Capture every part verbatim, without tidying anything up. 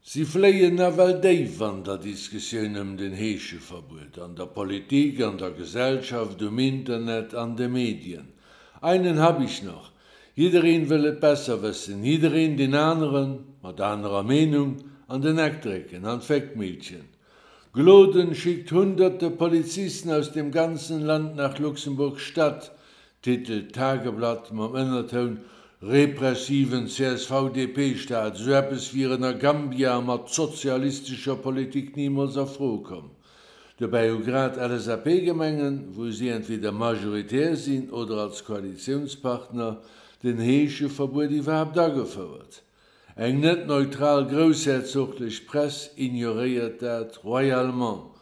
Si fléien nawell déif an der Diskussioun ëm den Heescheverbuet, an der Politik, an der Gesellschaft, um Internet, an de Medien. Einen hab ich noch. Jiddereen wëll et besser wëssen, jiddereen deen aneren, mat anerer Meenung, an den Eck drécken, an d'Féckmillchen. Gloden schickt hunderte Polizisten aus dem ganzen Land nach Luxemburg-Stadt, titelt d'Tageblatt mam Ënnertoun repressiven C S V D P-Staat, esou eppes wier ënner Gambia mat sozialistescher Politik nimools a Fro komm. Dobäi hu grad L S A P-Gemengen, wou si entweder majoritär sinn oder als Koalitiounspartner, den Heescheverbuet iwwerhaapt agefouert. Eng net neutral groussherzoglech Press ignoréiert dat royalement.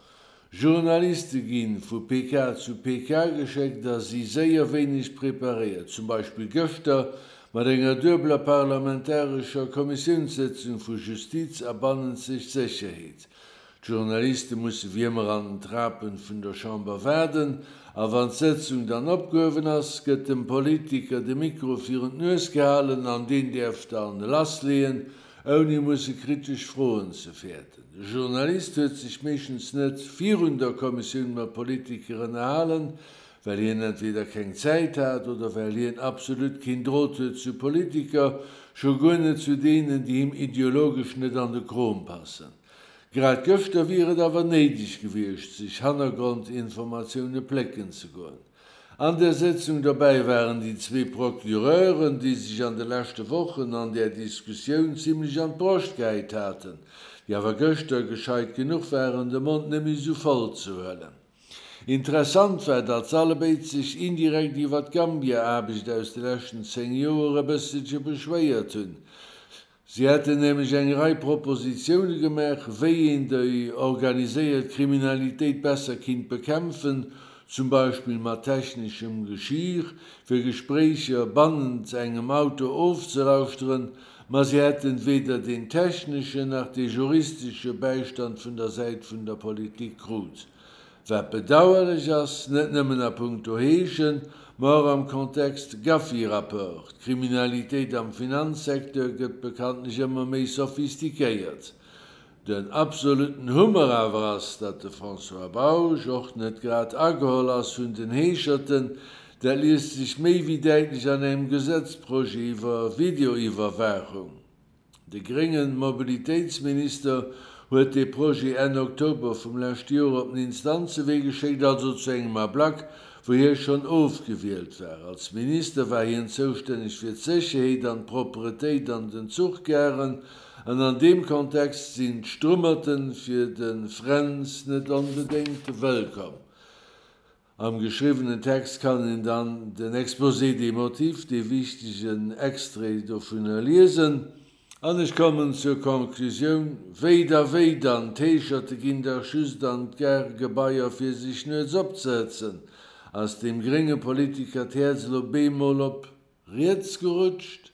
Journaliste gi vu P K zu P K geschéckt a si séier wéineg preparéiert, zum Beispill gëschter mat enger duebeler parlamentarescher Kommissiounssëtzung vu Justiz a bannenzeg Sécherheet. D'Journaliste musse wéi ëmmer an den Trapen vun der Chamber waarden, a wann d'Sëtzung dann opgehuewen ass, gëtt dem Politiker de Mikro virun d'Nues gehalen an deen däerf dann lassleeën, ouni musse kritesch Froen ze fäerten. De Journalist huet sech meeschtens net virun der Kommissioun mat Politiker ënnerhalen, well hien entweder keng Zäit hat oder well hien absolut keen Drot huet zu Politiker, scho guer net zu deenen, déi him ideologesch net an de Krom passen. Grad gëschter wier et awer néideg gewiescht, sech Hannergrondinformatioune plécken ze goen. An der Sëtzung dobäi waren déi zwee Procureuren, déi sech an de leschte Wochen an där Diskussioun zimmlech an d'Broscht gehäit haten, déi awer gëschter gescheit genuch waren, de Mond net méi sou voll ze huelen. Interessant war, datt s'allebéid sech indirekt iwwer d'Gambia-Aarbecht aus de leschten zéng Joer e bësselche beschwéiert hunn. Si hätten nämlech eng Rei Propositioune gemaach, wéi een déi organiséiert Kriminalitéit besser kinnt bekämpfen, zum Beispill mat techneschem Geschir, fir Gespréicher bannent engem Auto ofzelauschteren, ma si hätten weder deen techneschen nach dee juristesche Bäistand vun der Säit vun der Politik krut. Wat bedauerlech ass, net nëmmen a punkto Heeschen, ma och am Kontext Gafi-Rapport. D'Kriminalitéit am Finanzsecteur gëtt bekanntlech ëmmer méi sophistiquéiert. Den absolutten Hummer awer ass, datt de François Bausch och net grad ageholl ass vun den Heescherten. Dat liest sech méi wéi däitlech an engem Gesetzprojet iwwer Videoiwwerwaachung. De grénge Mobilitéitsminister huet dee Projet Enn Oktober vum leschte Joer op den Instanzewee geschéckt, also zu engem Ablack, wou hie schonn ofgewielt war. Als Minister war hien zoustänneg fir d'Sécherheet an d'Propretéit an den Zuchgaren, an an deem Kontext sinn d'Strummerte fir de Fränz net onbedéngt wëllkomm. Am geschriwwenen Text kann een dann den Exposé des motifs, dee wichtegen Extrait dovunner liesen. An ech kommen zur Conclusioun, Wéi da wéi dann, d'Heescherte ginn dach just an d'Gare-Gebaier fir sech nuets opzehëtzen. Ass deem grénge Politiker d'Häerz elo bemol op riets gerutscht?